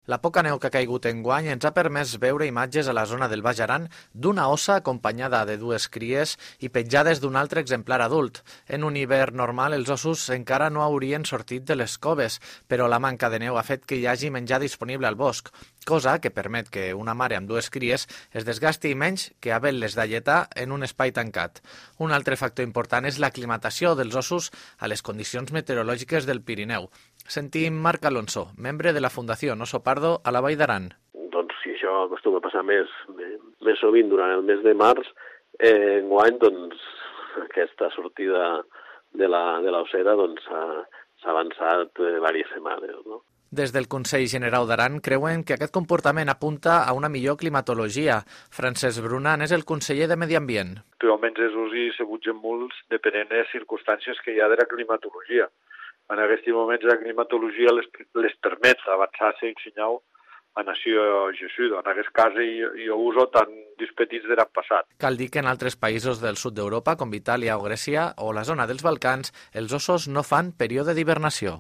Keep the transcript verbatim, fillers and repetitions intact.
La poca neu que ha caigut enguany ens ha permès veure imatges a la zona del Baix Aran d'una ossa acompanyada de dues cries i petjades d'un altre exemplar adult. En un hivern normal els ossos encara no haurien sortit de les coves, però la manca de neu ha fet que hi hagi menjar disponible al bosc, cosa que permet que una mare amb dues cries es desgasti menys que havent-les d'alletar en un espai tancat. Un altre factor important és l'aclimatació dels ossos a les condicions meteorològiques del Pirineu. Sentim Marc Alonso, membre de la Fundació Oso Pardo a la Vall d'Aran. Doncs si això acostuma a passar més, més sovint durant el mes de març, eh, enguany doncs, aquesta sortida de la, de l'ossera doncs, s'ha avançat eh, diverses setmanes, no? Des del Consell Generau d'Aran creuen que aquest comportament apunta a una millor climatologia. Francesc Brunan és el conseller de Medi Ambient. Actualment els usos s'abugen molt depenent de les circumstàncies que hi ha de la climatologia. En aquests moments la climatologia les, les permet avançar-se i ensenyar a nació gessuda. En aquest cas hi, hi ha uso tan dispetits de l'any passat. Cal dir que en altres països del sud d'Europa, com Itàlia o Grècia o la zona dels Balcans, els ossos no fan període d'hibernació.